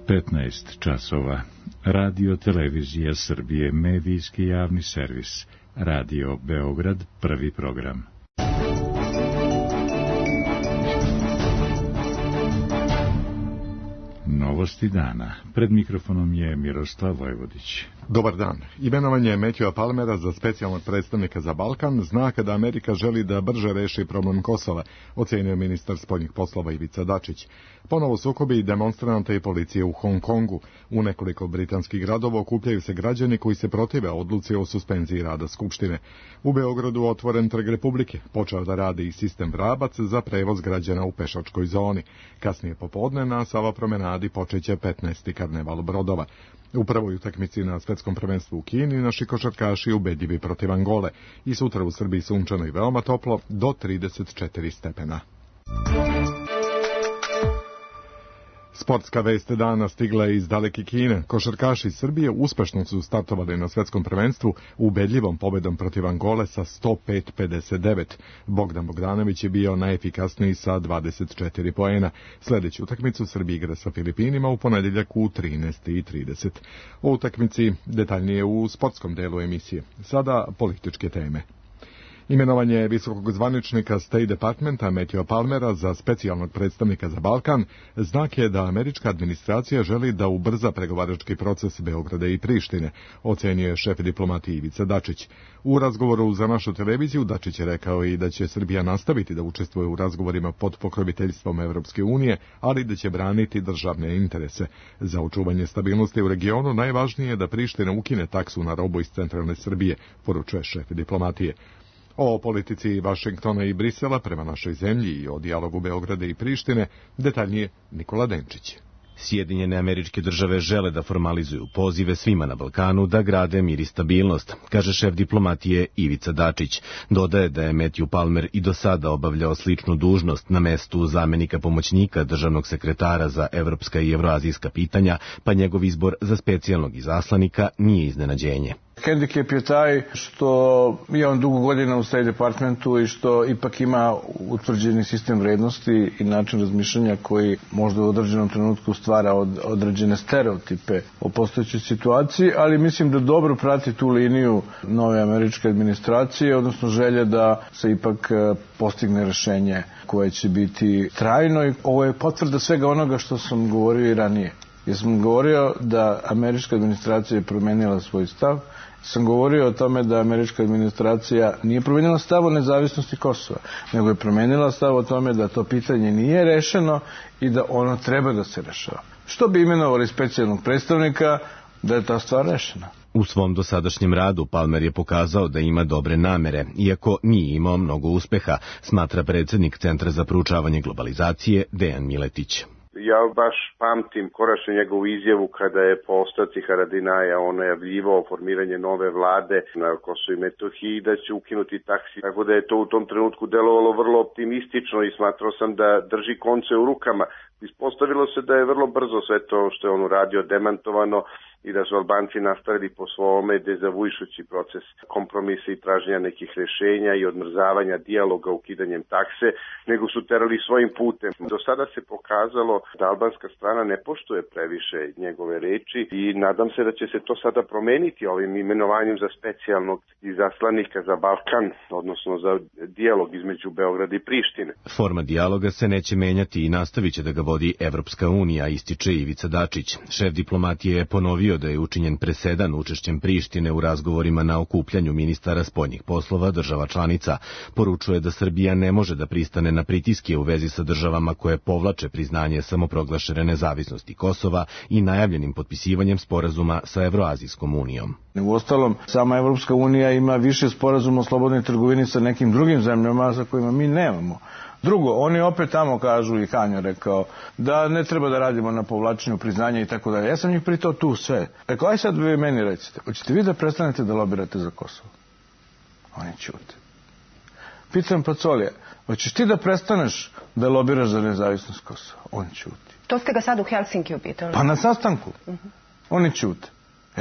15 časova. Radio Televizija Srbije, medijski javni servis. Radio Beograd, prvi program. Novosti dana. Pred mikrofonom je Miroslav Vojvodić. Dobar dan. Imenovanje Matthewa Palmera za specijalnog predstavnika za Balkan znak da Amerika želi da brže reši problem Kosova, ocenio ministar spoljnih poslova Ivica Dačić. Ponovo sukobi demonstranata i policije u Hong Kongu. U nekoliko britanskih gradova okupljaju se građani koji se protive odluci o suspenziji rada Skupštine. U Beogradu otvoren Trg Republike. Počeo da radi i sistem Vrabac za prevoz građana u pešačkoj zoni. Kasnije popodne na Sava promenadi počeće 15. karneval brodova. U prvoj utakmici na svetskom prvenstvu u Kini naši košarkaši ubedljivi protiv Angole i sutra u Srbiji sunčano i veoma toplo do 34 stepena. Sportska vest dana stigla je iz daleke Kine. Košarkaši Srbije uspešno su startovali na svetskom prvenstvu ubedljivom pobedom protiv Angole sa 105-59. Bogdan Bogdanović je bio najefikasniji sa 24 poena. Sledeću utakmicu Srbija igra sa Filipinima u ponedeljak u 13:30. O utakmici detaljnije u sportskom delu emisije. Sada političke teme. Imenovanje visokog zvaničnika State Departmenta Matthewa Palmera za specijalnog predstavnika za Balkan znak je da američka administracija želi da ubrza pregovarački proces Beograda i Prištine, ocenio je šef diplomatije Ivica Dačić. U razgovoru za našu televiziju Dačić je rekao i da će Srbija nastaviti da učestvuje u razgovorima pod pokroviteljstvom Evropske unije, ali da će braniti državne interese. Za očuvanje stabilnosti u regionu najvažnije je da Priština ukine taksu na robu iz centralne Srbije, poručuje šef diplomatije. O politici Vašingtona i Brisela prema našoj zemlji i o dijalogu Beograda i Prištine detaljnije Nikola Denčić. Sjedinjene Američke Države žele da formalizuju pozive svima na Balkanu da grade mir i stabilnost, kaže šef diplomatije Ivica Dačić. Dodaje da je Matthew Palmer i do sada obavljao sličnu dužnost na mestu zamenika pomoćnika državnog sekretara za evropska i evroazijska pitanja, pa njegov izbor za specijalnog izaslanika nije iznenađenje. Hendikep je taj što je on dugo godina u State Departmentu i što ipak ima utvrđeni sistem vrednosti i način razmišljanja koji možda u određenom trenutku stvara određene stereotipe o postojećoj situaciji, ali mislim da dobro prati tu liniju nove američke administracije, odnosno želje da se ipak postigne rešenje koje će biti trajno. I ovo je potvrda svega onoga što sam govorio i ranije. Jer sam govorio da američka administracija je promenila svoj stav, sam govorio o tome da američka administracija nije promenila stav o nezavisnosti Kosova, nego je promenila stav o tome da to pitanje nije rešeno i da ono treba da se rešava. Što bi imenovali specijalnog predstavnika da je ta stvar rešena? U svom dosadašnjem radu Palmer je pokazao da ima dobre namere, iako nije imao mnogo uspeha, smatra predsjednik Centra za proučavanje globalizacije Dejan Miletić. Ja baš pamtim konačno njegovu izjavu kada je po ostavci Haradinaja on najavljivao formiranje nove vlade na Kosovu i Metohiji da će ukinuti taksi. Tako da je to u tom trenutku delovalo vrlo optimistično i smatrao sam da drži konce u rukama. Ispostavilo se da je vrlo brzo sve to što je on uradio demantovano i da su Albanci nastavili po svome dezavujujući proces kompromisa i traženja nekih rešenja i odmrzavanja dijaloga ukidanjem takse, nego su terali svojim putem. Do sada se pokazalo da albanska strana ne poštuje previše njegove reči i nadam se da će se to sada promeniti ovim imenovanjem za specijalnog izaslanika za Balkan, odnosno za dijalog između Beograda i Prištine. Forma dijaloga se neće menjati i nastavit će da ga vodi Evropska unija, ističe Ivica Dačić. Šef diplomatije je ponovio da je učinjen presedan učešćem Prištine u razgovorima na okupljanju ministara spoljnih poslova država članica. Poručuje da Srbija ne može da pristane na pritiske u vezi sa državama koje povlače priznanje samoproglašene nezavisnosti Kosova i najavljenim potpisivanjem sporazuma sa Evroazijskom unijom. Uostalom, sama Evropska unija ima više sporazuma o slobodnoj trgovini sa nekim drugim zemljama za kojima mi nemamo. Drugo, oni opet tamo kažu, i Kanjo rekao, da ne treba da radimo na povlačenju priznanja i tako dalje. Ja sam njih pritao tu sve. Rekao, aj sad vi meni recite, hoćete vi da prestanete da lobirate za Kosovo? Oni ćute. Pitam Pacolija, hoćeš ti da prestaneš da lobiraš za nezavisnost Kosova? On ćuti. To ste ga sad u Helsinkiju pitali? Pa na sastanku. Oni ćute.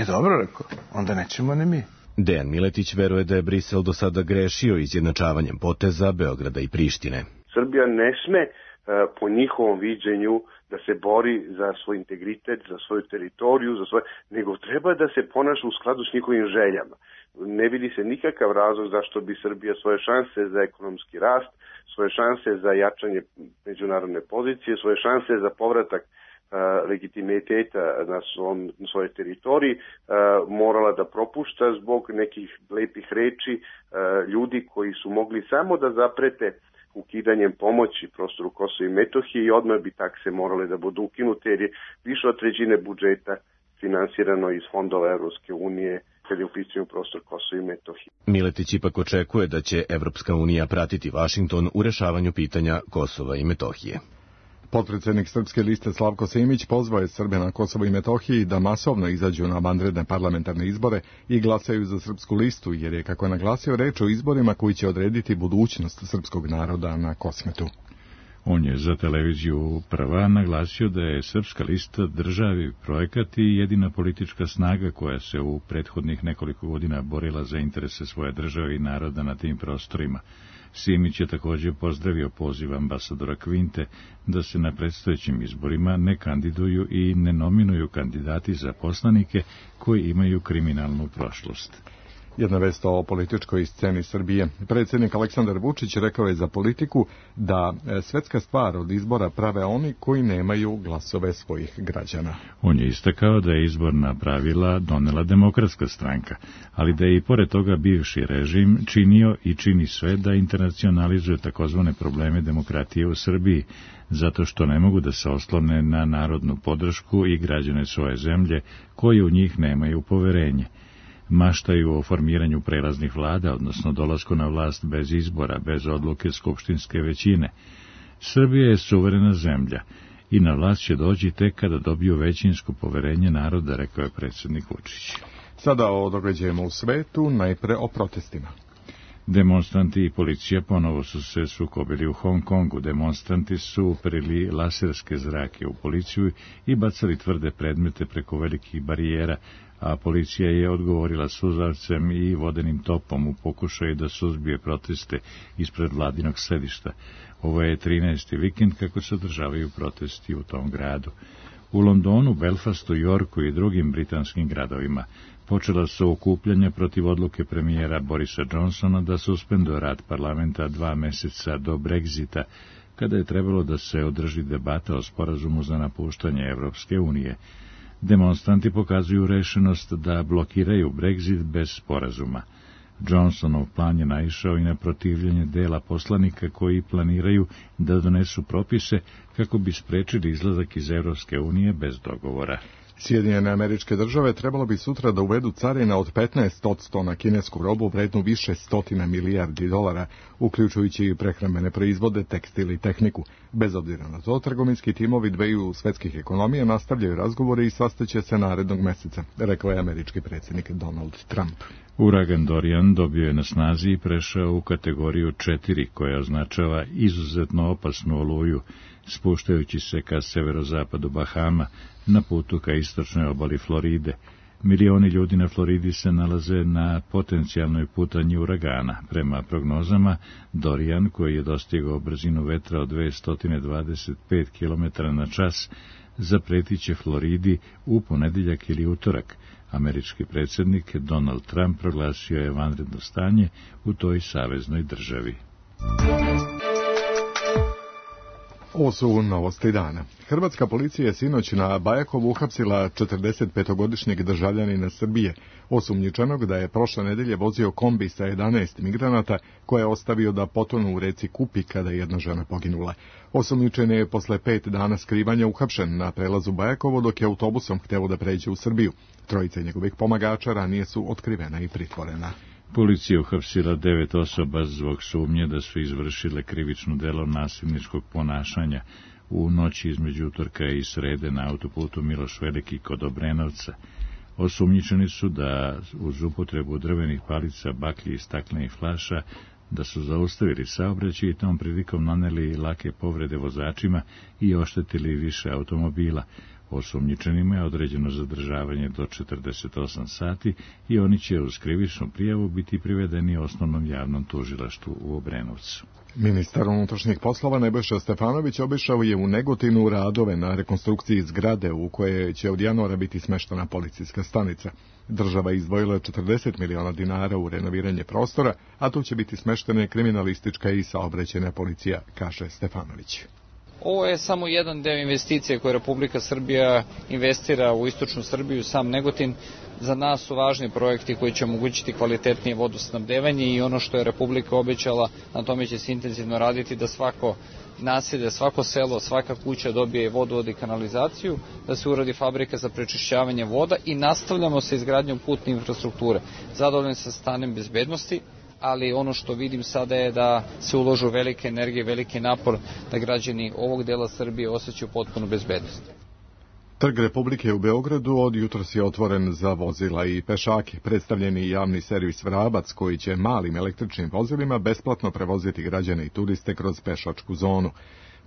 Dobro, rekao, onda nećemo ni mi. Dejan Miletić veruje da je Brisel do sada grešio izjednačavanjem poteza Beograda i Prištine. Srbija ne sme po njihovom viđenju da se bori za svoj integritet, za svoju teritoriju, nego treba da se ponaša u skladu s njihovim željama. Ne vidi se nikakav razlog zašto bi Srbija svoje šanse za ekonomski rast, svoje šanse za jačanje međunarodne pozicije, svoje šanse za povratak legitimiteta na svojoj teritoriji morala da propušta zbog nekih lepih reči ljudi koji su mogli samo da zaprete ukidanjem pomoći prostoru Kosova i Metohije i odmah bi takse morale da budu ukinute jer je više od trećine budžeta finansirano iz fondova Evropske unije kada je u pitanju prostor Kosova i Metohije. Miletić ipak očekuje da će Evropska unija pratiti Vašington u rešavanju pitanja Kosova i Metohije. Potpredsednik Srpske liste Slavko Simić pozvao je Srbe na Kosovo i Metohiji da masovno izađu na vanredne parlamentarne izbore i glasaju za Srpsku listu, jer je, kako je naglasio, reč o izborima koji će odrediti budućnost srpskog naroda na Kosmetu. On je za televiziju Prva naglasio da je Srpska lista državi projekat i jedina politička snaga koja se u prethodnih nekoliko godina borila za interese svoje države i naroda na tim prostorima. Simić je također pozdravio poziv ambasadora Kvinte da se na predstojećim izborima ne kandiduju i ne nominuju kandidati za poslanike koji imaju kriminalnu prošlost. Jedna vest o političkoj sceni Srbije. Predsjednik Aleksandar Vučić rekao je za politiku da svetska stvar od izbora prave oni koji nemaju glasove svojih građana. On je istakao da je izborna pravila donela Demokratska stranka, ali da je i pored toga bivši režim činio i čini sve da internacionalizuje takozvane probleme demokratije u Srbiji, zato što ne mogu da se oslone na narodnu podršku i građane svoje zemlje koji u njih nemaju poverenje. Maštaju o formiranju prelaznih vlada, odnosno dolasku na vlast bez izbora, bez odluke skupštinske većine. Srbija je suverena zemlja i na vlast će doći tek kada dobiju većinsko poverenje naroda, rekao je predsjednik Vučić. Sada o događajima u svetu, najpre o protestima. Demonstranti i policija ponovo su se sukobili u Hong Kongu. Demonstranti su uperili laserske zrake u policiju i bacali tvrde predmete preko velikih barijera, a policija je odgovorila suzavcem i vodenim topom u pokušaju da suzbije proteste ispred vladinog sedišta. Ovo je 13. vikend kako se održavaju protesti u tom gradu. U Londonu, Belfastu, Yorku i drugim britanskim gradovima počela su okupljanja protiv odluke premijera Borisa Johnsona da suspenduje rad parlamenta 2 meseca do Brexita, kada je trebalo da se održi debata o sporazumu za napuštanje Evropske unije. Demonstranti pokazuju rešenost da blokiraju Brexit bez sporazuma. Johnsonov plan je naišao i na protivljenje dela poslanika koji planiraju da donesu propise kako bi sprečili izlazak iz Evropske unije bez dogovora. Sjedinjene Američke Države trebalo bi sutra da uvedu carina od 15% na kinesku robu vrednu više $100 milijardi, uključujući i prehrambene proizvode, tekstil i tehniku. Bez obzira na to, trgovinski timovi dveju svetskih ekonomija nastavljaju razgovore i sastaće se narednog meseca, rekao je američki predsjednik Donald Trump. Uragan Dorian dobio je na snazi i prešao u kategoriju 4, koja označava izuzetno opasnu oluju, spuštajući se ka severozapadu Bahama, na putu ka istočnoj obali Floride. Milioni ljudi na Floridi se nalaze na potencijalnoj putanji uragana. Prema prognozama, Dorian, koji je dostigao brzinu vetra od 225 km na čas, zapretiće Floridi u ponedeljak ili utorak. Američki predsjednik Donald Trump proglasio je vanredno stanje u toj saveznoj državi. Ovo su novosti dana. Hrvatska policija je sinoć na Bajakovu uhapsila 45-godišnjeg državljanina Srbije, osumnjičenog da je prošle nedelje vozio kombi sa 11 migranata koje je ostavio da potonu u reci Kupi kada je jedna žena poginula. Osumnjičen je posle 5 dana skrivanja uhapšen na prelazu Bajakovo dok je autobusom hteo da pređe u Srbiju. Trojica njegovih pomagača ranije su otkrivena i pritvorena. Policija uhapsila 9 osoba zbog sumnje da su izvršile krivično delo nasilničkog ponašanja u noći između utorka i srede na autoputu Miloš Veliki kod Obrenovca. Osumnjičeni su da uz upotrebu drvenih palica, baklji i staklenih flaša da su zaustavili saobraćaj i tom prilikom naneli lake povrede vozačima i oštetili više automobila. Osumnjičenima je određeno zadržavanje do 48 sati i oni će uz krivičnu prijavu biti privedeni osnovnom javnom tužilaštvu u Obrenovcu. Ministar unutrašnjih poslova Nebojša Stefanović obišao je u Negotinu radove na rekonstrukciji zgrade u koje će od januara biti smeštena policijska stanica. Država izdvojila 40 miliona dinara u renoviranje prostora, a tu će biti smeštene kriminalistička i saobraćajna policija, kaže Stefanović. Ovo je samo jedan deo investicije koje Republika Srbija investira u istočnu Srbiju, sam Negotin. Za nas su važni projekti koji će omogućiti kvalitetnije vodosnabdevanje i ono što je Republika obećala, na tome će se intenzivno raditi da svako naselje, svako selo, svaka kuća dobije vodovod i kanalizaciju, da se uradi fabrika za prečišćavanje voda i nastavljamo sa izgradnjom putne infrastrukture. Zadovoljan sa stanjem bezbednosti, ali ono što vidim sada je da se uložu velike energije, veliki napor da građani ovog dela Srbije osjećaju potpunu bezbednost. Trg Republike u Beogradu od jutros je otvoren za vozila i pešake. Predstavljeni javni servis Vrabac koji će malim električnim vozilima besplatno prevoziti građane i turiste kroz pešačku zonu.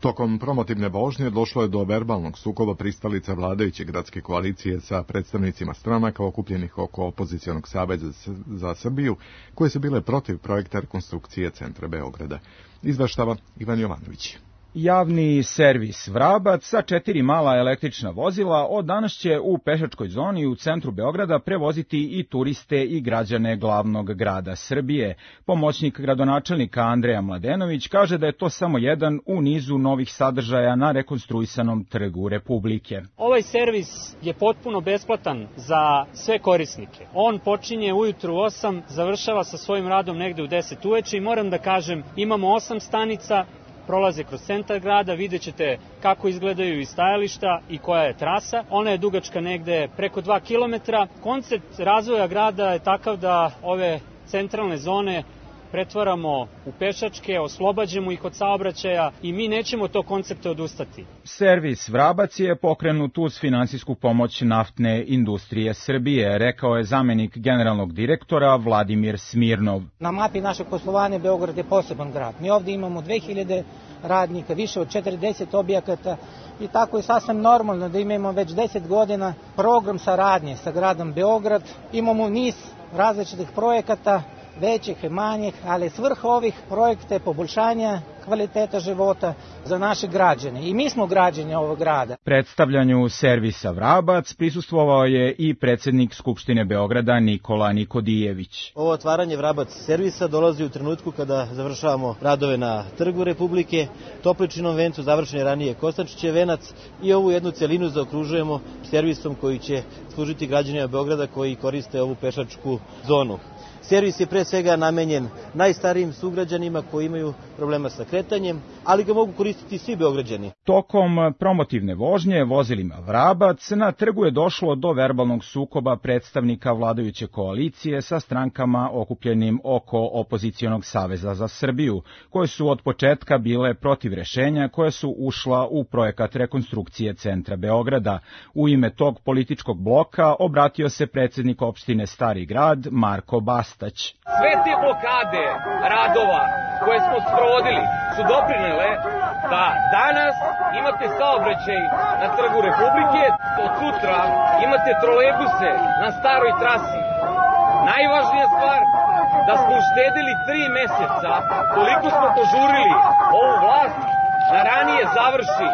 Tokom promotivne vožnje došlo je do verbalnog sukoba pristalica vladajuće gradske koalicije sa predstavnicima stranaka okupljenih oko opozicionog saveza za Srbiju, koje su bile protiv projekta rekonstrukcije centra Beograda. Izveštava Ivan Jovanović. Javni servis Vrabac sa 4 mala električna vozila od danas će u pešačkoj zoni u centru Beograda prevoziti i turiste i građane glavnog grada Srbije. Pomoćnik gradonačelnika Andreja Mladenović kaže da je to samo jedan u nizu novih sadržaja na rekonstruisanom trgu Republike. Ovaj servis je potpuno besplatan za sve korisnike. On počinje ujutru 8, završava sa svojim radom negde u 10 uveče i moram da kažem, imamo 8 stanica, prolaze kroz centar grada, vidjet ćete kako izgledaju i stajališta i koja je trasa. Ona je dugačka negde preko 2 km. Koncept razvoja grada je takav da ove centralne zone pretvaramo u pešačke, oslobađamo ih od saobraćaja i mi nećemo to koncepte odustati. Servis Vrabac je pokrenut uz finansijsku pomoć Naftne industrije Srbije, rekao je zamenik generalnog direktora Vladimir Smirnov. Na mapi našeg poslovanja Beograd je poseban grad. Mi ovdje imamo 2000 radnika, više od 40 objekata i tako je sasvim normalno da imamo već 10 godina program saradnje sa gradom Beograd. Imamo niz različitih projekata, većih i manjih, ali svrha ovih projekta je poboljšanje kvaliteta života za naše građane. I mi smo građani ovog grada. Predstavljanju servisa Vrabac prisustvovao je i predsjednik Skupštine Beograda Nikola Nikodijević. Ovo otvaranje Vrabac servisa dolazi u trenutku kada završavamo radove na Trgu Republike, Topličinom vencu, završen je ranije Kostančićev venac i ovu jednu celinu zaokružujemo servisom koji će služiti građanima Beograda koji koriste ovu pešačku zonu. Servis je pre svega namenjen najstarijim sugrađanima koji imaju problema sa kretanjem, ali ga mogu koristiti svi Beograđani. Tokom promotivne vožnje vozilima Vrabac na trgu je došlo do verbalnog sukoba predstavnika vladajuće koalicije sa strankama okupljenim oko opozicionog saveza za Srbiju, koje su od početka bile protiv rešenja koje su ušla u projekat rekonstrukcije centra Beograda. U ime tog političkog bloka obratio se predsjednik opštine Stari grad Marko Bastać. Sve te blokade radova koje smo sprovodili su doprinele da danas imate saobraćaj na Trgu Republike, od sutra imate trolejbuse na staroj trasi. Najvažnija stvar da smo uštedili 3 meseca koliko smo požurili ovu vlast da ranije završi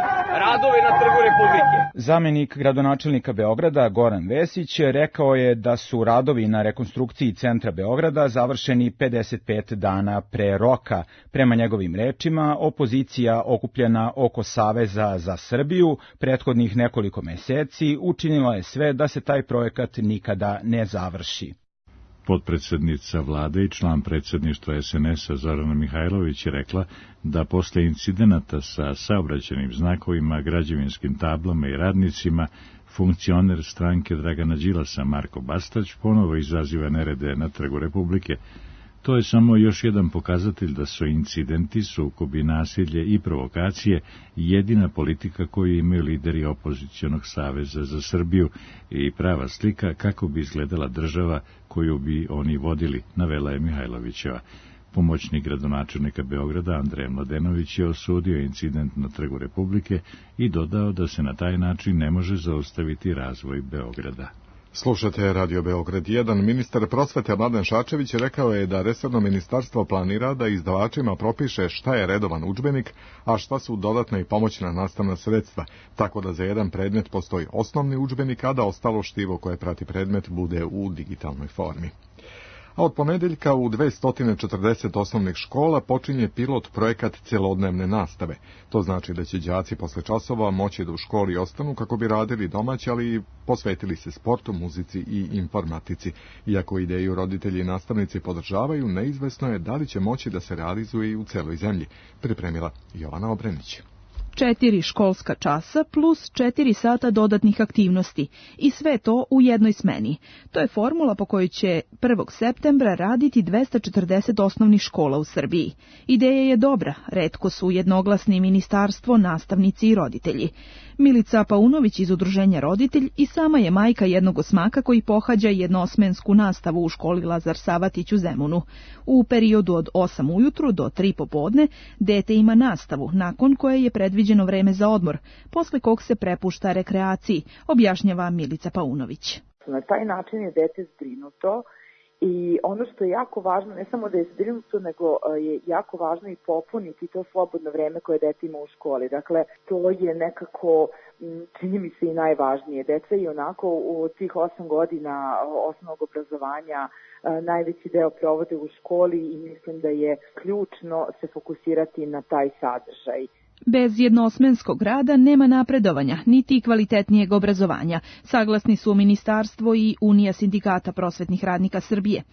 radove na Trgu Republike. Zamenik gradonačelnika Beograda Goran Vesić rekao je da su radovi na rekonstrukciji centra Beograda završeni 55 dana pre roka. Prema njegovim rečima, opozicija okupljena oko Saveza za Srbiju prethodnih nekoliko meseci učinila je sve da se taj projekat nikada ne završi. Potpredsednica vlade i član predsjedništva SNS-a Zorana Mihajlović je rekla da posle incidenata sa saobraćajnim znakovima, građevinskim tablama i radnicima, funkcioner stranke Dragana Đilasa Marko Bastać ponovo izaziva nerede na Trgu Republike. To je samo još jedan pokazatelj da su incidenti, sukobi, nasilje i provokacije jedina politika koju imaju lideri opozicionog saveza za Srbiju i prava slika kako bi izgledala država koju bi oni vodili, navela je Mihajlovićeva. Pomoćnik gradonačelnika Beograda Andreja Mladenović je osudio incident na Trgu Republike i dodao da se na taj način ne može zaustaviti razvoj Beograda. Slušate Radio Beograd 1. Ministar prosvete Mladen Šarčević rekao je da resorno ministarstvo planira da izdavačima propiše šta je redovan udžbenik, a šta su dodatna i pomoćna nastavna sredstva, tako da za jedan predmet postoji osnovni udžbenik, a da ostalo štivo koje prati predmet bude u digitalnoj formi. A od ponedeljka u 240 osnovnih škola počinje pilot projekat celodnevne nastave. To znači da će đaci posle časova moći da u školi ostanu kako bi radili domaće, ali i posvetili se sportu, muzici i informatici. Iako ideju roditelji i nastavnici podržavaju, neizvesno je da li će moći da se realizuje i u celoj zemlji, pripremila Jovana Obrenić. 4 školska časa plus 4 sata dodatnih aktivnosti i sve to u jednoj smeni. To je formula po kojoj će 1. septembra raditi 240 osnovnih škola u Srbiji. Ideja je dobra, retko su jednoglasni ministarstvo, nastavnici i roditelji. Milica Paunović iz Udruženja Roditelj i sama je majka jednog osmaka koji pohađa jednosmensku nastavu u školi Lazar Savatić u Zemunu. U periodu od 8 ujutru do 3 popodne dete ima nastavu, nakon koje je predviđeno vreme za odmor, posle kog se prepušta rekreaciji, objašnjava Milica Paunović. Na taj način je dete zbrinuto i ono što je jako važno, ne samo da je zbrinuto, nego je jako važno i popuniti to slobodno vreme koje dete ima u školi. Dakle, to je nekako, čini mi se, i najvažnije. Deca i onako u tih 8 godina osnovnog obrazovanja najveći deo provode u školi i mislim da je ključno se fokusirati na taj sadržaj. Bez jednosmenskog rada nema napredovanja, niti kvalitetnijeg obrazovanja, saglasni su Ministarstvo i Unija sindikata prosvetnih radnika Srbije.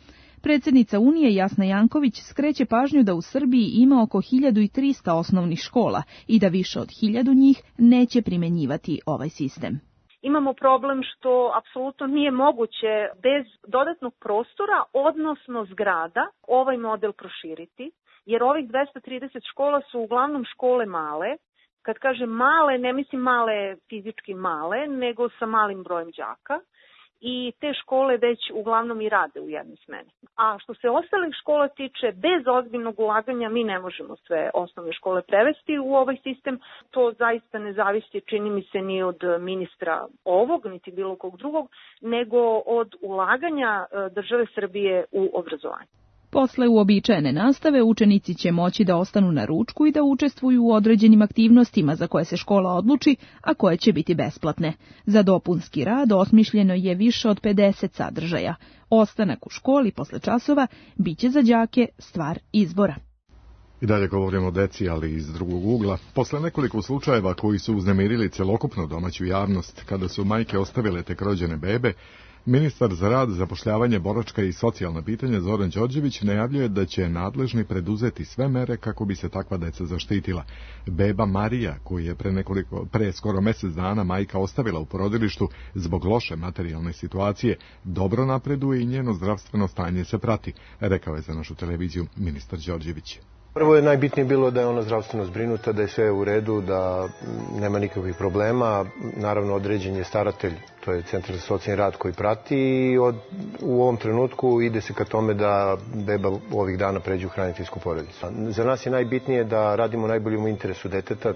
Predsjednica Unije Jasna Janković skreće pažnju da u Srbiji ima oko 1300 osnovnih škola i da više od 1000 njih neće primenjivati ovaj sistem. Imamo problem što apsolutno nije moguće bez dodatnog prostora, odnosno zgrada, ovaj model proširiti. Jer ovih 230 škola su uglavnom škole male. Kad kažem male, ne mislim male fizički male, nego sa malim brojem đaka. I te škole već uglavnom i rade u jednoj smeni. A što se ostalih škola tiče, bez ozbiljnog ulaganja mi ne možemo sve osnovne škole prevesti u ovaj sistem. To zaista ne zavisi, čini mi se, ni od ministra ovog, niti bilo kog drugog, nego od ulaganja države Srbije u obrazovanje. Posle uobičajene nastave učenici će moći da ostanu na ručku i da učestvuju u određenim aktivnostima za koje se škola odluči, a koje će biti besplatne. Za dopunski rad osmišljeno je više od 50 sadržaja. Ostanak u školi posle časova biće za đake stvar izbora. I dalje govorimo o deci, ali iz drugog ugla. Posle nekoliko slučajeva koji su uznemirili celokupnu domaću javnost, kada su majke ostavile tek rođene bebe, ministar za rad, zapošljavanje, boračka i socijalna pitanja Zoran Đorđević najavljuje da će nadležni preduzeti sve mere kako bi se takva deca zaštitila. Beba Marija, koju je pre skoro mesec dana majka ostavila u porodilištu zbog loše materijalne situacije, dobro napreduje i njeno zdravstveno stanje se prati, rekao je za našu televiziju ministar Đorđević. Prvo je najbitnije bilo da je ona zdravstveno zbrinuta, da je sve u redu, da nema nikakvih problema. Naravno, određen je staratelj, to je Centar za socijalni rad koji prati i u ovom trenutku ide se ka tome da beba ovih dana pređe u hraniteljsku porodicu. Za nas je najbitnije da radimo najbolje u interesu deteta,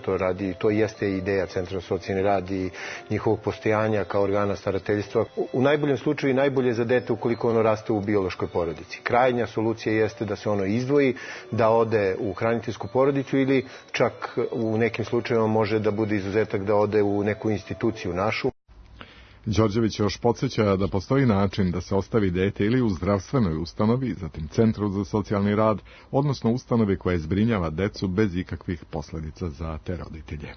to jeste ideja Centra za socijalni rad i njihovog postojanja kao organa starateljstva. U najboljem slučaju i najbolje za dete ukoliko ono raste u biološkoj porodici. Krajnja solucija jeste da se ono izdvoji, da ode u hraniteljsku porodicu ili čak u nekim slučajevima može da bude izuzetak da ode u neku instituciju našu. Đorđević još podsjeća da postoji način da se ostavi dete ili u zdravstvenoj ustanovi, zatim Centru za socijalni rad, odnosno ustanovi koja zbrinjava decu bez ikakvih posljedica za te roditelje.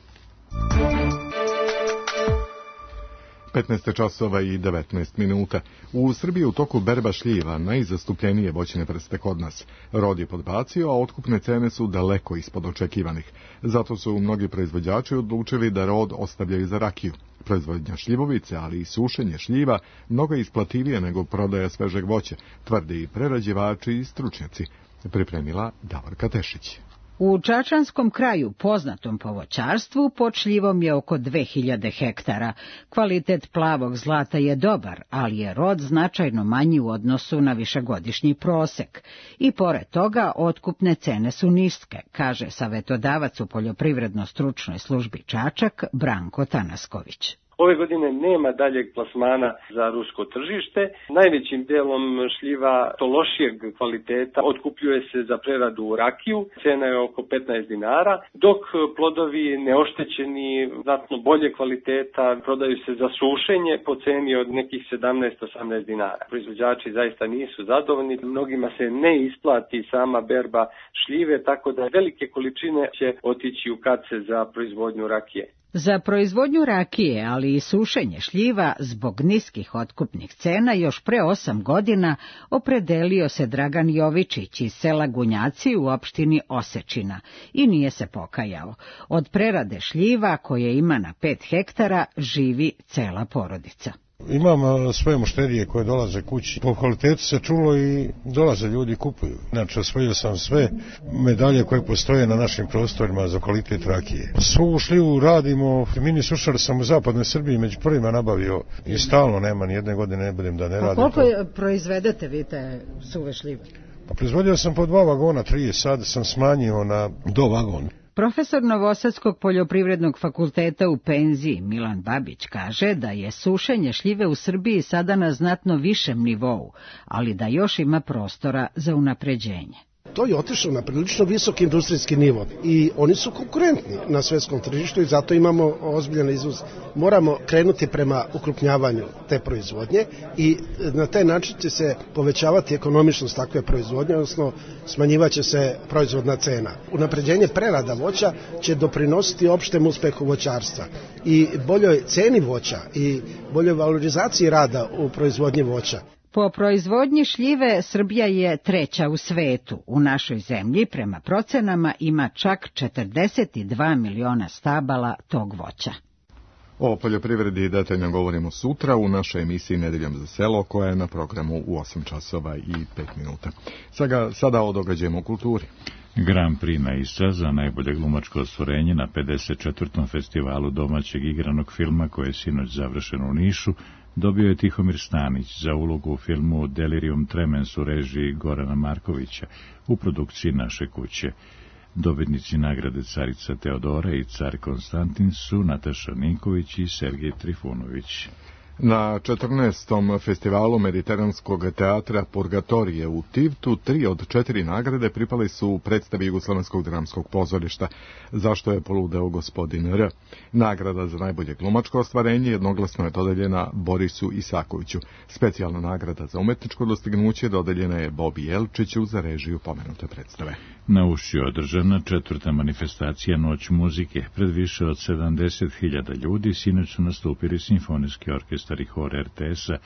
15 časova i 19 minuta. U Srbiji u toku berba šljiva, najzastupljenije voćne vrste kod nas. Rod je podbacio, a otkupne cene su daleko ispod očekivanih. Zato su mnogi proizvođači odlučili da rod ostavljaju za rakiju. Proizvodnja šljivovice, ali i sušenje šljiva, mnogo je isplativije nego prodaja svežeg voća, tvrde i prerađivači i stručnjaci, pripremila Davorka Tešić. U čačanskom kraju, poznatom po voćarstvu, pod šljivom je oko 2000 hektara. Kvalitet plavog zlata je dobar, ali je rod značajno manji u odnosu na višegodišnji prosek. I pored toga, otkupne cene su niske, kaže savetodavac u poljoprivredno-stručnoj službi Čačak Branko Tanasković. Ove godine nema daljeg plasmana za rusko tržište. Najvećim delom šljiva to lošijeg kvaliteta otkupljuje se za preradu u rakiju. Cena je oko 15 dinara, dok plodovi neoštećeni, znatno bolje kvaliteta, prodaju se za sušenje po ceni od nekih 17-18 dinara. Proizvođači zaista nisu zadovoljni. Mnogima se ne isplati sama berba šljive, tako da velike količine će otići u kace za proizvodnju rakije. Za proizvodnju rakije, ali i sušenje šljiva, zbog niskih otkupnih cena, još pre 8 godina opredelio se Dragan Jovičić iz sela Gunjaci u opštini Osečina i nije se pokajao. Od prerade šljiva, koje ima na 5 hektara, živi cela porodica. Imam svoje mušterije koje dolaze kući. Po kvalitetu se čulo i dolaze ljudi kupuju. Znači, osvojio sam sve medalje koje postoje na našim prostorima za kvalitet rakije. Svu šljivu radimo, mini sušar sam u zapadnoj Srbiji među prvima nabavio i stalno nema ni jedne godine, ne budem da ne radim. A koliko proizvedete vi te suve šljive? Pa proizvodio sam po 2 vagona, 3, sad sam smanjio na do vagon. Profesor Novosadskog poljoprivrednog fakulteta u penziji Milan Babić kaže da je sušenje šljive u Srbiji sada na znatno višem nivou, ali da još ima prostora za unapređenje. To je otišlo na prilično visok industrijski nivo i oni su konkurentni na svetskom tržištu i zato imamo ozbiljan izvoz. Moramo krenuti prema ukrupnjavanju te proizvodnje i na taj način će se povećavati ekonomičnost takve proizvodnje, odnosno smanjivaće se proizvodna cena. Unapređenje prerada voća će doprinositi opštem uspehu voćarstva i boljoj ceni voća i boljoj valorizaciji rada u proizvodnji voća. Po proizvodnji šljive Srbija je 3. u svetu. U našoj zemlji, prema procenama, ima čak 42 miliona stabala tog voća. O poljoprivredi detaljno govorimo sutra u našoj emisiji Nedeljom za selo, koja je na programu u 8 časova i 5 minuta. Sada o događajima u kulturi. Grand Prix na ISA za najbolje glumačko ostvarenje na 54. festivalu domaćeg igranog filma, koje je sinoć završeno u Nišu, dobio je Tihomir Stanić za ulogu u filmu Delirium Tremens u režiji Gorana Markovića u produkciji Naše kuće. Dobitnici nagrade Carica Teodora i Car Konstantin su Nataša Ninković i Sergej Trifunović. Na 14. festivalu Mediteranskog teatra Purgatorije u Tivtu 3 od 4 nagrade pripali su predstavi Jugoslovenskog dramskog pozorišta, zašto je poludeo gospodin R. Nagrada za najbolje glumačko ostvarenje jednoglasno je dodeljena Borisu Isakoviću. Specijalna nagrada za umetničko dostignuće dodeljena je Bobi Jelčiću za režiju pomenute predstave. Na Ušću je održana 4. manifestacija Noć muzike. Pred više od 70.000 ljudi sinoć su nastupili simfonijski orkestar i hor RTS-a,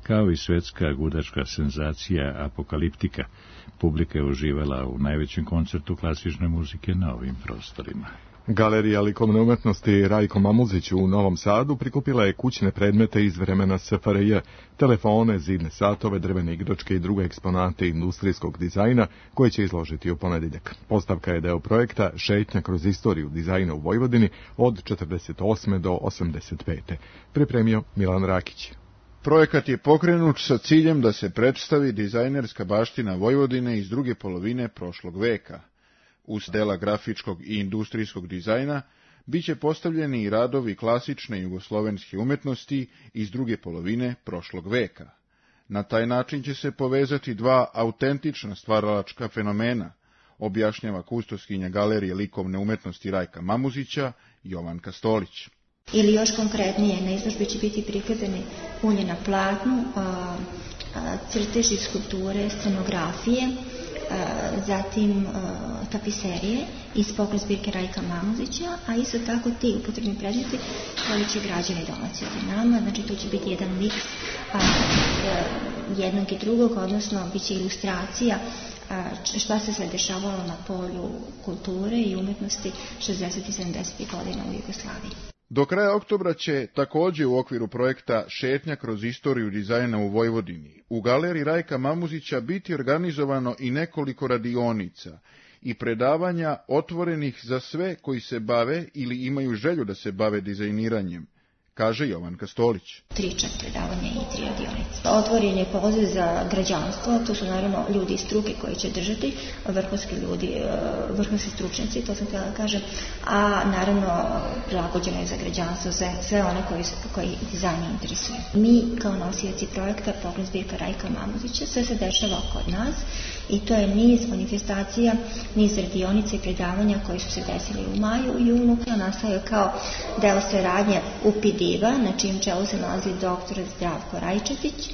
kao i svetska gudačka senzacija Apokaliptika. Publika je uživala u najvećem koncertu klasične muzike na ovim prostorima. Galerija likovne umetnosti Rajko Mamuzić u Novom Sadu prikupila je kućne predmete iz vremena SFRJ, telefone, zidne satove, drvene igračke i druge eksponate industrijskog dizajna koje će izložiti u ponedjeljak. Postavka je deo projekta Šetnja kroz istoriju dizajna u Vojvodini od 48. do 85. Pripremio Milan Rakić. Projekat je pokrenut sa ciljem da se predstavi dizajnerska baština Vojvodine iz druge polovine prošlog veka. Uz dela grafičkog i industrijskog dizajna biće postavljeni i radovi klasične jugoslovenske umetnosti iz druge polovine prošlog veka. Na taj način će se povezati dva autentična stvaralačka fenomena, objašnjava kustoskinja Galerije likovne umetnosti Rajka Mamuzića, Jovanka Stolić. Ili još konkretnije, na izložbi će biti prikazani ulje na platnu, crteži, skulpture, scenografije, zatim tapiserije iz poklon zbirke Rajka Mamuzića, a isto tako ti upotrebni predmeti koji će građani domaći od nama, znači to će biti jedan miks jednog i drugog, odnosno bit će ilustracija šta se sve dešavalo na polju kulture i umetnosti 60. i 70. godina u Jugoslaviji. Do kraja oktobra će također u okviru projekta Šetnja kroz istoriju dizajna u Vojvodini u Galeriji Rajka Mamuzića biti organizovano i nekoliko radionica i predavanja otvorenih za sve koji se bave ili imaju želju da se bave dizajniranjem, kaže Jovanka Stolić. 3 predavanja i 3 radionice. Otvoren je poziv za građanstvo, to su naravno ljudi iz struke koji će držati, vrhunski ljudi, vrhunski stručnjaci, to sam htjela da kažem, a naravno prilagođeno je za građanstvo, sve one koji dizajn interesuju. Mi kao nosioci projekta Program zbirka Rajka Mamuzića, sve se dešava kod nas i to je niz manifestacija, niz radionica i predavanja koji su se desili u maju i junu. Nastao je kao deo saradnje UPD na čijem čelu se nalazi dr. Zdravko Rajčetić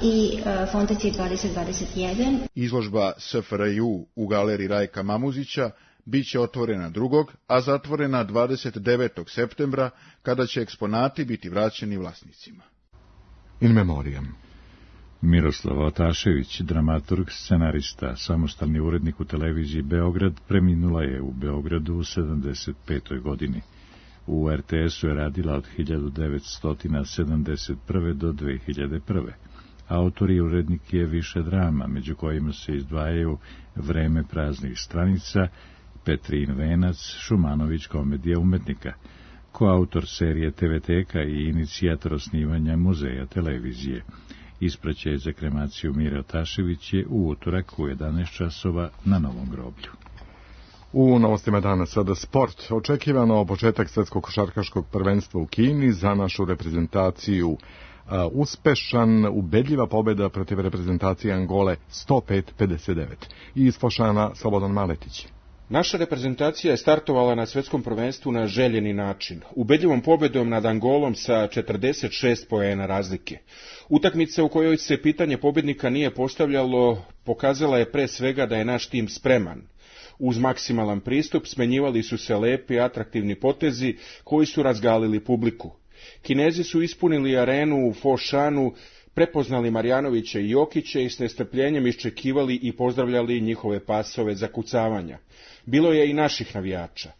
i Fondacije 2021. Izložba SFRJ u galeriji Rajka Mamuzića biće otvorena 2. a zatvorena 29. septembra, kada će eksponati biti vraćeni vlasnicima. In memoriam. Miroslava Otašević, dramaturg, scenarista, samostalni urednik u televiziji Beograd, preminula je u Beogradu u 75. godini. U RTS-u je radila od 1971. do 2001. Autor i urednik je više drama, među kojima se izdvajaju Vreme praznih stranica, Petrin venac, Šumanović komedija umetnika, koautor serije TV-teka i inicijator osnivanja Muzeja televizije. Ispraćaj za kremaciju Mire Otašević je u utorak u 11 časova na Novom groblju. U novostima dana sada sport. Očekivano početak svetskog košarkaškog prvenstva u Kini za našu reprezentaciju. Uspešan, ubedljiva pobjeda protiv reprezentacije Angole 105-59. I iz Fošana Slobodan Maletić. Naša reprezentacija je startovala na svetskom prvenstvu na željeni način, ubedljivom pobjedom nad Angolom sa 46 poena razlike. Utakmica u kojoj se pitanje pobjednika nije postavljalo pokazala je pre svega da je naš tim spreman. Uz maksimalan pristup smenjivali su se lepi, atraktivni potezi koji su razgalili publiku. Kinezi su ispunili arenu u Fošanu, prepoznali Marjanovića i Jokića i s nestrpljenjem iščekivali i pozdravljali njihove pasove za kucavanja. Bilo je i naših navijača.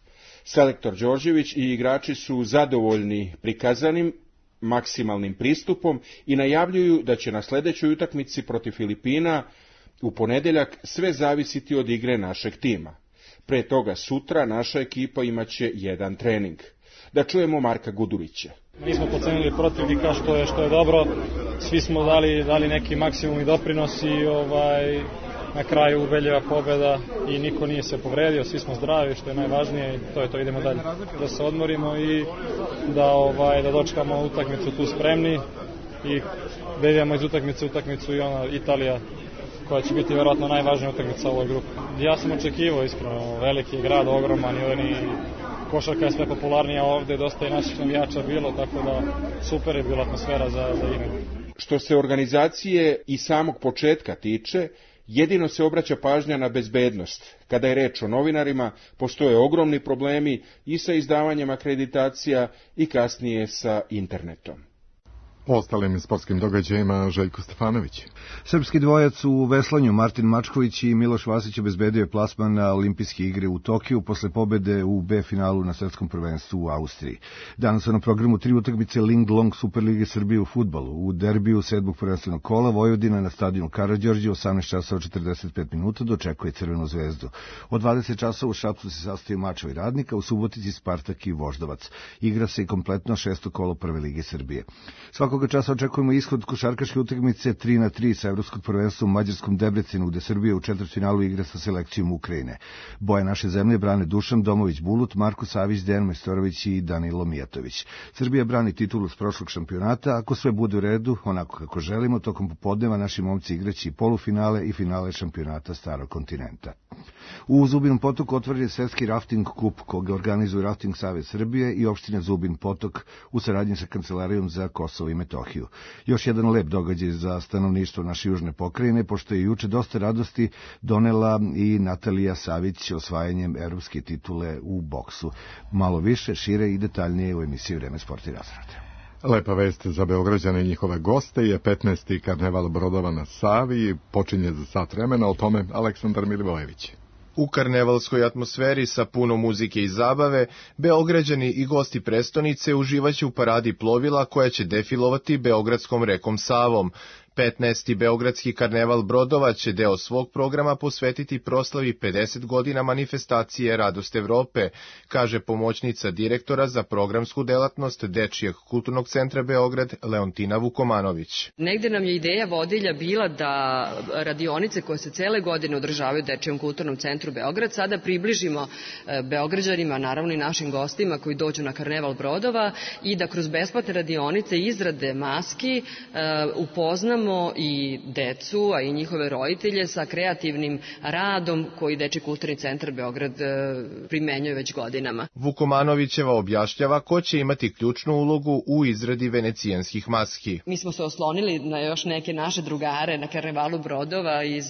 Selektor Đorđević i igrači su zadovoljni prikazanim maksimalnim pristupom i najavljuju da će na sljedećoj utakmici protiv Filipina u ponedjeljak sve zavisiti od igre našeg tima. Pre toga sutra naša ekipa imaće jedan trening. Da čujemo Marka Gudurića. Nismo pocenili protivnika što je dobro. Svi smo dali neki maksimum i doprinos i na kraju ubedljiva pobjeda i niko nije se povredio, svi smo zdravi, što je najvažnije i to je to, idemo dalje. Da se odmorimo i da dočekamo utakmicu tu spremni i da idemo iz utakmice u utakmicu i Italija koja će biti vjerojatno najvažnija utakmica u ovoj grupi. Ja sam očekivao iskreno, veliki je grad, ogroman i košarka je sve popularnija ovdje, dosta i naših navijača bilo, tako da super je bila atmosfera za igru. Što se organizacije i samog početka tiče, jedino se obraća pažnja na bezbednost. Kada je reč o novinarima, postoje ogromni problemi i sa izdavanjem akreditacija i kasnije sa internetom. O ostalim sportskim događajima Željko Stefanović. Srpski dvojac u veslanju Martin Mačković i Miloš Vasić obezbedio je plasman na olimpijske igre u Tokiju posle pobede u B finalu na svetskom prvenstvu u Austriji. Danas su na programu 3 utakmice Ling Long Superlige Srbije u fudbalu. U derbiju 7. prvenstvenog kola Vojvodina na stadionu Karađorđe 18:45 dočekuje Crvenu zvezdu. Od 20 časova u Šapcu se sastoji Mačevo i Radnika, u Subotici Spartak i Voždovac. Igra se i kompletno 6. kolo Prve lige Srbije. Svakoga časa očekujemo ishod košarkaške utakmice 3-3 sa evropskog prvenstva u mađarskom Debrecinu, gde Srbija u četvrtfinalu igra sa selekcijom Ukrajine. Boje naše zemlje brane Dušan Domović-Bulut, Marko Savić, Dejan Majstorović i Danilo Mijatović. Srbija brani titulu s prošlog šampionata. Ako sve bude u redu, onako kako želimo, tokom popodneva naši momci igraći i polufinale i finale šampionata Starog kontinenta. U Zubinom Potoku otvoren je svetski rafting kup koga organizuje Rafting Savez Srbije i opština Zubin Potok u saradnji sa Kancelarijom za Kosovo i Metohiju. Još jedan lep događaj za stanovništvo naše južne pokrajine, pošto je juče dosta radosti donela i Natalija Savić osvajanjem evropske titule u boksu. Malo više, šire i detaljnije u emisiji Vreme sport i razrade. Lepa vest za Beograđane i njihove goste je 15. karneval brodova na Savi, počinje za sat vremena, o tome Aleksandar Milivojević. U karnevalskoj atmosferi sa puno muzike i zabave, Beograđani i gosti prestonice uživaće u paradi plovila koja će defilovati Beogradskom rekom Savom. 15. Beogradski karneval brodova će deo svog programa posvetiti proslavi 50 godina manifestacije Radost Evrope, kaže pomoćnica direktora za programsku delatnost Dečijeg kulturnog centra Beograd Leontina Vukomanović. Negde nam je ideja vodilja bila da radionice koje se cele godine održavaju u Dečijem kulturnom centru Beograd sada približimo Beograđanima, naravno i našim gostima koji dođu na karneval brodova i da kroz besplatne radionice izrade maski upoznamo i decu, a i njihove roditelje sa kreativnim radom koji Dečiji kulturni centar Beograd primenjuje već godinama. Vukomanovićeva objašnjava ko će imati ključnu ulogu u izradi venecijanskih maski. Mi smo se oslonili na još neke naše drugare na karnevalu brodova iz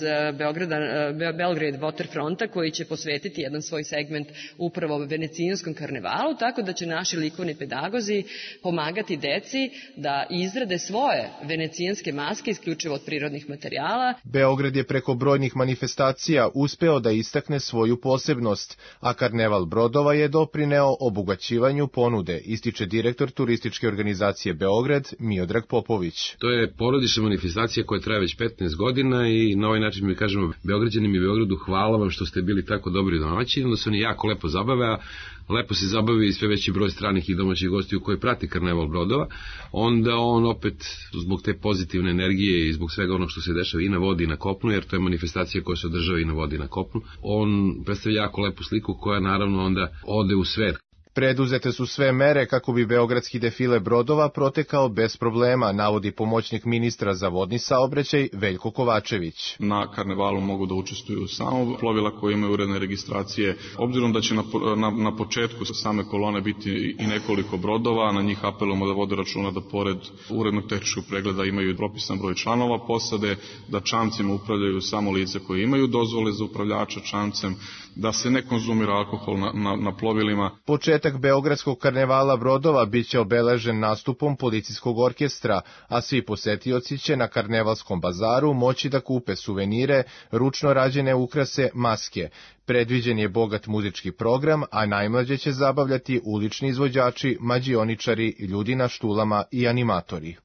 Belgrade Waterfronta koji će posvetiti jedan svoj segment upravo venecijanskom karnevalu, tako da će naši likovni pedagozi pomagati deci da izrade svoje venecijanske maske isključivo od prirodnih materijala. Beograd je preko brojnih manifestacija uspeo da istakne svoju posebnost, a karneval brodova je doprineo obogaćivanju ponude, ističe direktor turističke organizacije Beograd Miodrag Popović. To je porodična manifestacija koja traje već 15 godina i na ovaj način mi kažemo Beograđanima i Beogradu hvala vam što ste bili tako dobri domaćini, onda se oni jako lepo zabave, a lepo se zabavi i sve veći broj stranih i domaćih gostiju koji prati karneval brodova, onda on opet zbog te pozitivne energije i zbog svega onog što se dešava i na vodi i na kopnu, jer to je manifestacija koja se održava i na vodi i na kopnu, on predstavlja jako lepu sliku koja naravno onda ode u svet. Preduzete su sve mere kako bi beogradski defile brodova protekao bez problema, navodi pomoćnik ministra za vodni saobraćaj Veljko Kovačević. Na karnevalu mogu da učestvuju samo plovila koje imaju uredne registracije. Obzirom da će na početku same kolone biti i nekoliko brodova, na njih apelujemo da vode računa da pored urednog tehničkog pregleda imaju propisan broj članova posade, da čamcima upravljaju samo lice koje imaju dozvole za upravljača čamcem, da se ne konzumira alkohol na plovilima. Početak Beogradskog karnevala brodova biće obeležen nastupom policijskog orkestra, a svi posetioci će na karnevalskom bazaru moći da kupe suvenire, ručno rađene ukrase, maske. Predviđen je bogat muzički program, a najmlađe će zabavljati ulični izvođači, mađioničari, ljudi na štulama i animatori.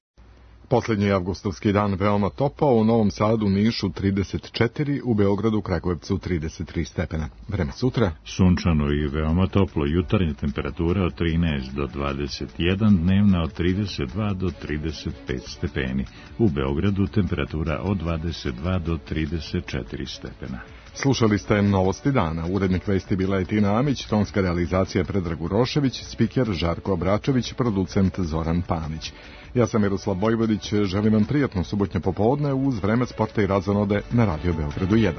Poslednji avgustovski dan veoma topao, u Novom Sadu, Nišu 34, u Beogradu, Kragujevcu 33 stepena. Vreme sutra? Sunčano i veoma toplo, jutarnja temperatura od 13 do 21, dnevna od 32 do 35 stepeni. U Beogradu temperatura od 22 do 34 stepena. Slušali ste Novosti dana. Urednik vesti bila je Tina Amić, tonska realizacija Predrag Urošević, spiker Žarko Obračević, producent Zoran Panić. Ja sam Miroslav Vojvodić, želim vam prijatno subotnje popodne uz vreme sporta i razonode na Radio Beogradu 1.